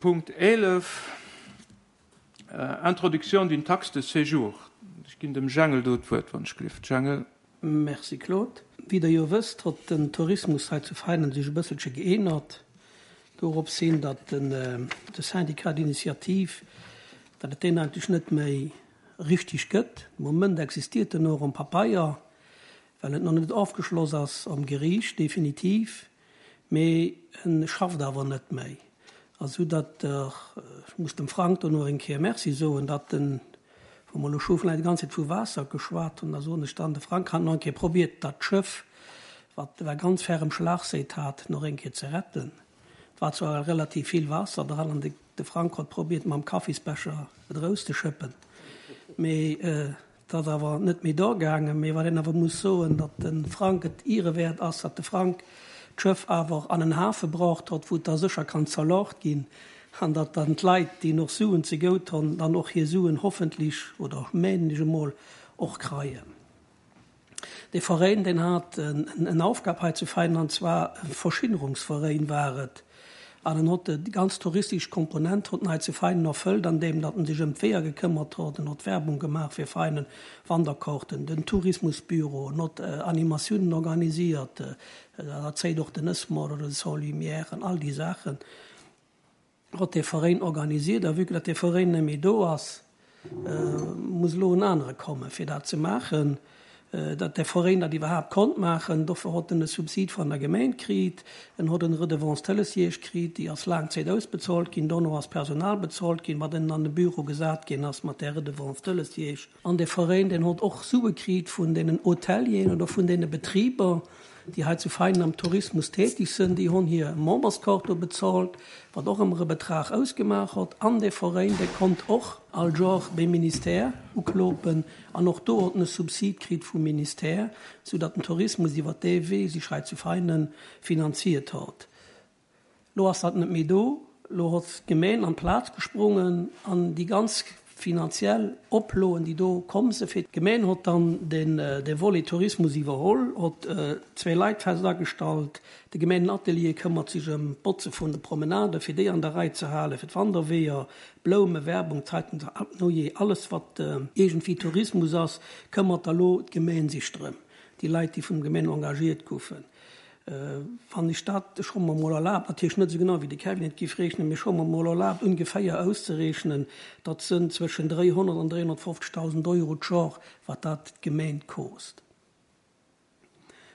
Punkt 11, Introduction d'une taxe de séjour. Ech ginn dem Jangel do d'Wuert, wann ech gelift. Jangel. Merci Claude. Wéi der jo wësst, hott den Tourismus hei zu Veinen sech e bësselche geänert, dorops hin, datt den de Syndicat d'initiative, datt et deen eigentlech net méi richtig gëtt. De Moment existiert en och um Papeier, well et nach net ofgeschloss ass am Geriicht definitiv. Mee en schafft awer net méi. A sou datt, ech muss dem Frank do nach eng Kéier Merci soen, datt en, wou mer elo scho vläicht déi ganz Zäit vu Waasser geschwat hunn, da soen ech dann, de Frank hat nach eng Kéier probiert, dat Schëff, wat war ganz ferrem Schlagséit hat, nach eng Kéier ze retten. Et war zwar relativ vill Waasser dran an de Frank hott probiert, mam Kaffisbecher et erauszeschëppen, mee Et ass awer net méi do gaangen. Mee wat een awer muss soen, datt de Frank et ierewäert ass, datt de Frank d'Schëff awer an en Hafe braucht hott, wou et da sécher kann zerloocht ginn, an datt dann d'Leit, déi noch Suen zegout honn, dann och hir Suen hoffentlich, oder menen ech emol, och kreien. Dee Veréin, deen hat en Aufgab hei zu Veinen, an zwar e Verschinnerungsveréin war et. An en hott déi ganz touristesch Komponent hott en hei zu Veinen erfëllt, andeem datt en sech ëm d'Weeër gekëmmert hott. En hott Werbung gemaach fir Veinen, Wanderkaarten, den Tourismusbüro, en hott Animatiounen organisiert, dat zéit och den Ësmort oder de Sans Lumière an all déi Saachen. Hott dee Veréin organisiert. A vue que datt dee Veréin net méi do ass, muss elo en anere komme fir dat ze maachen. Datt dee Veréin dat iwwerhaapt konnt maachen, dofir hott en e Subsid van der Gemeen kriit, en hott en Redevance Télésiège kriit, déi ass laang Zéit ausbezolt ginn, dono ass Personal bezolt ginn, wat ennen an de Büro gesat ginn ass mat där Redevance Télésiège. An dee Veréin, deen hott och Sue kriit vun deenen Hotelieren oder vun deene Betriber, déi hei zu Veinen am Tourismus tätig sënn, déi honn hir Memberskaart do bezolt, wat och ëmmer e Betrag ausgemaach hott. An dee Veréin, dee konnt och all Jor beim Ministère uklopen an och do hott en e Subsid kritt vum Ministère, soudatt den Tourismus iwwer dee Wee sech hei zu Veinen finanziert hott. Lo ass dat net méi do. Lo hott d'Gemeen an d'Plaz gesprongen an déi ganz finanziell Oploen, déi do komm se fir d'Gemeen hott dann den de Volet Tourismus iwwerholl, hott zwéi Leit fest agestallt. De Gemeenatelier këmmert sech ëm d'Botze vun de Promenaden, fir déi an der Rei ze halen, fir d'Wanderweeër, Bloume, Werbung, Zeitung, nojee, alles wat iergendwéi Tourismus ass, këmmert da lo d'Gemeen sech drëm, déi Leit, déi vun der Gemeen engagiert goufen. Wann ech dat, ech hu mer emol erlaabt, natierlech net esou genau wéi de Kevin et géif reechnen, mee ech hu mer emol erlaabt ungeféier auszerechnen, dat sënn zwëschen 300 an 350.000 Euro d'Jor, wat dat d'Gemeen koost.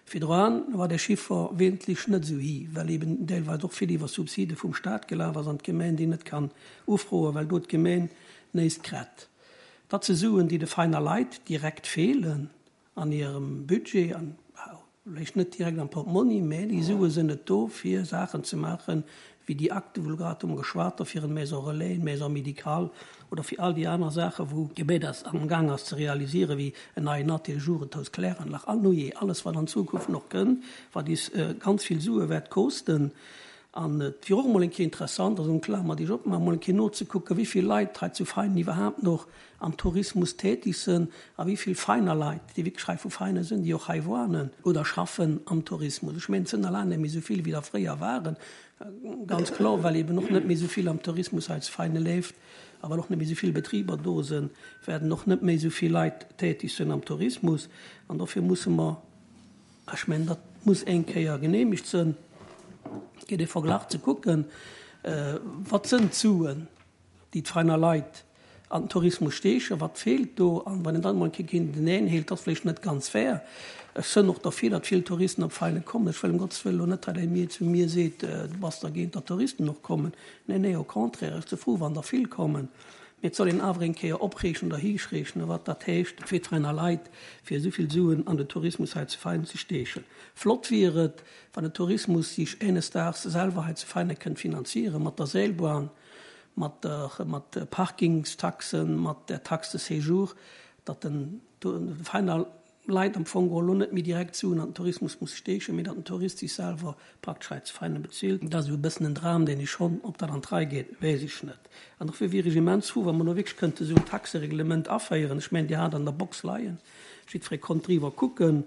Virdroan war dee Chiffer wesentlech net esou hi, well eben deelweis och vill iwwer Subside vum Stat gelaf ass an d'Gemeen déi net kann ufroen, well do d'Gemeen néist krett. Dat si Suen, déi de Veiner Leit direkt feelen. an hirem Budget, an vläicht net direkt am Portmonni, mä déi Sue sinn net do, fir Saachen ze maachen, wéi déi Akte, wou elo grad drëm geschwat gouf, fir eng Maison relais, eng Maison médicale oder fir all déi aner Saachen, wou d'Gemedas amgaang ass ze realisieren, wéi en neien Atelier, Jugendhaus, Kläranlag, an nujee, alles, wat an Zukunft nach kënnt, wat is ganz vill Sue wäert kosten. An et wier och emol eng Kéier interessant, also eng Klammer, déi ech opmaachen, emol eng Kéier nozekucken, wéi vill Leit hei zu Veinen iwwerhaapt nach am Tourismus tätig sënn a wéi vill Veiner Leit, déi wierklech hei vu Veinen sënn, déi och hei woanen oder schaffen am Tourismus. Ech mengen, et sënn der laang net méi esou vill, wéi der fréier waren, ganz kloer, well eben och net méi esou vill am Tourismus hei zu Veinen leeft a well och net méi esou vill Betriber do sënn, wäerten och net méi esou vill Leit tätig sënn am Tourismus. An dofir musse mer, Ech mengen, dat muss eng Kéier genehmegt sënn, fir dee Verglach ze kucken, Wat sënn d'Suen, déi d'Veiner Leit an den Tourismus steechen, wat feelt do? An wann een dann emol eng Kéier géinteneen heelt, dat ass vläicht net ganz fair. Ech sënn och derfir, datt vill Touristen op Veinen kommen. Ech wëll ëm Gottes Wëllen elo net, datt ee mir zu mir seet, du bass dergéint, datt Touristen och kommen. Nee, nee, au contraire, ech si frou, wann der vill kommen. Mee et soll een awer eng Kéier opreechnen oder hiichreechnen, wat dat heescht fir d'Veiner Leit, fir esou vill Suen an den Tourismus hei zu Veinen ze steechen. Flott wier et, wann den Tourismus sich eines Daags selwer hei zu Veinen kënnt finanzieren, mat der Seilbahn, mat der, mat Parkingstaxen, mat der Taxe de séjour, datt den Veiner Leit am Fong geholl elo net méi direkt Suen an den Tourismus musse steechen, mee datt den Tourist sech selwer praktesch hei zu Veinen bezilt. Dat ass esou e bëssen en Dram, deen ech honn. Ob dat an d'Rei geet, weess ech net. An dofir wier ech immens frou, wa mer elo wierklech kënnte esou en Taxereglement aféieren. Ech mengen, Dir hat an der Box leien, jiddweree konnt driwwer kucken.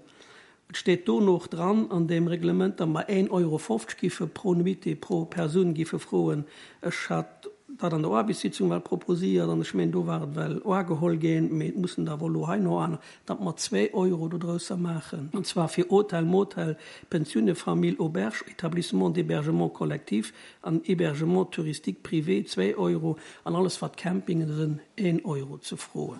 Et steet dono och dran an deem Reglement, datt mer een Euro 50 giffe pro Nuitée, pro Persoun giffe froen. Ech hat dat an der Aarbechtssitzung well proposiert an ech mengen, do war et well oageholl ginn, mee et mussen der awer elo hei no aner, datt mer zwee Euro dodrausser maachen, an zwar fir Hotel, Motel, Pensione, Famille, Auberge, Établissement d'hébergement collectif an Hébergement touristique privé zwee Euro an alles wat Campingen sënn een Euro ze froen.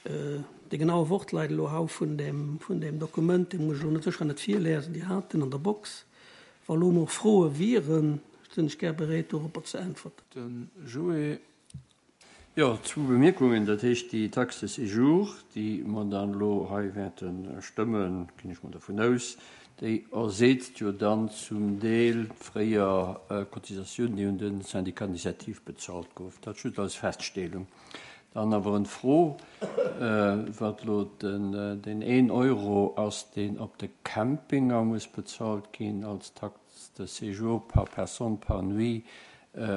De genaue Wortleit elo hau vun deem, vun deem Dokument, dee muss ech elo net sécher net virliesen, Dir hat en an der Box. Wa elo nach Froe wieren, sinn ech gär bereet doropper ze äntwerten. De Joé. Jo, zwou Bemierkungen. Dat heescht, déi Taxe de séjour, déi mer dann elo hei wäerte stëmmen, ginn ech mol dervun aus, déi erseetzt jo dann zum Deel d'fréier Cotisatioun, déi un de Syndicat d'initiative bezahlt gouf. Dat just als Feststellung. Dann awer en Fro, wat elo deen een Euro ass, deen op de Campinger muss bezahlt ginn als Taxe de séjour par personne par nuit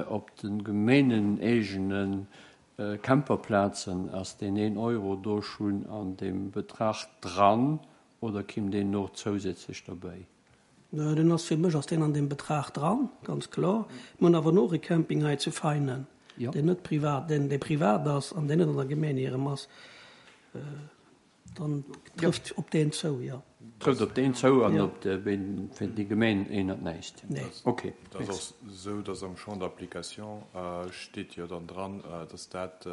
op de gemeeneneegene Camperplazen. Ass deen een Euro do schonn an deem Betrag dran oder kimm deen no zousätzlech derbäi? Deen ass, fir mech ass deen an deem Betrag dran, ganz kloer. Mir hunn awer och e Camping hei zu Veinen, deen net privat, deen, dee privat ass an deen net an der Gemeng hirem ass. Dann trëfft op deen zou, jo. Trëfft op deen zou an op de, fir déi Gemeng ännert näischt. Nee. Okay. Et ass och esou, dass am Champ d'application steet jo dann dran, dass dat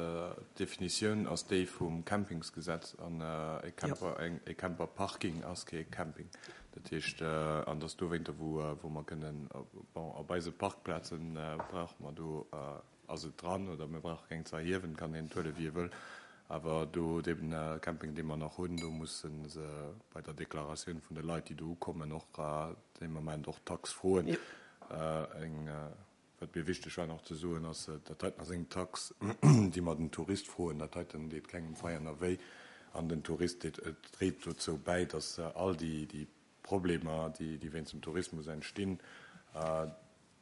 d'Definitioun ass déi vum Campingsgesetz an e Camper, e Camperparking ass kee Camping. Dat heescht, an dass dowéinter, wou, wou mer kënnen, bon, op eise Parkplaze brauche mer do, ass et dran oder mir brauche keng ze erhiewen, kann een et huelen, wéi e wëll. Awer do, dee Camping, dee mer nach hunn, do musse se bei der Deklaratioun vun de Leit, déi do ukommen, och dee Moment och d'Tax froen. Eng. Wat mir wichteg war nach ze soen, ass, dat heiten ass eng Tax, déi mer den Tourist froen. Dat heiten deet kengem Veianer wéi an den Tourist deet, et dréit dozou bäi, dass all déi, déi Problemer, déi, déi wéinst dem Tourismus entstinn,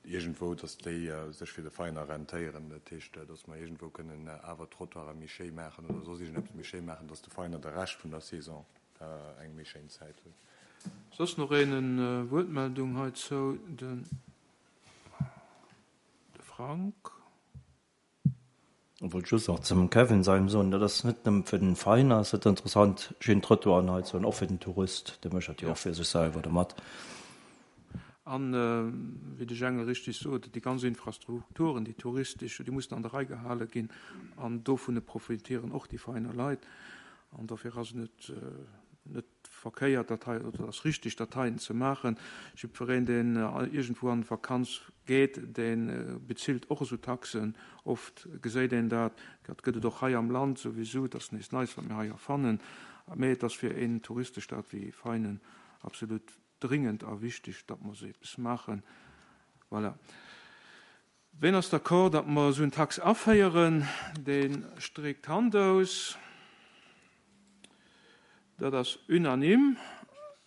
iergendwou, dass déi sech fir de Veiener rentéieren. Dat heescht, dass mer iergendwou kënnen awer d'Trottoiren méi schéi maachen oder soss iergendeppes méi schéi maachen, dass de Veiener de Rescht vun der Saison eng méi schéin Zäit huet. Soss nach een en Wuertmeldung heizou? Den. De Frank. Ech wollt just nach zum Kevin seinem soen, dat ass net nëmme fir den Veiner ass dat interessant, schéin Trottoiren hei ze hunn, och fir den Tourist, dee mécht dat jo och fir sech selwer domat. An, wéi de Jengel richtig sot, déi ganz Infrastrukturen, déi touristesch, déi mussen an der Rei gehale ginn an dovun profitieren och déi Veiner Leit. An dofir ass et net, net verkéiert dat hei, oder ass richtig dat heien ze maachen. Jiddwereen deen iergendwou an d'Vakanz geet, dee bezilt och esou Taxen. Oft geséit een dat, dat gëtt et och hei am Land souwisou, et ass näischt Neies wat mir hei erfannen, mee et ass fir een Touristestad wéi Veinen absolut dringend a wichteg, datt mer esou eppes maachen. Voilà. Ween ass d'accord, datt mer esou en Tax aféieren? Dee streekt d'Hand aus. Dat ass unanime.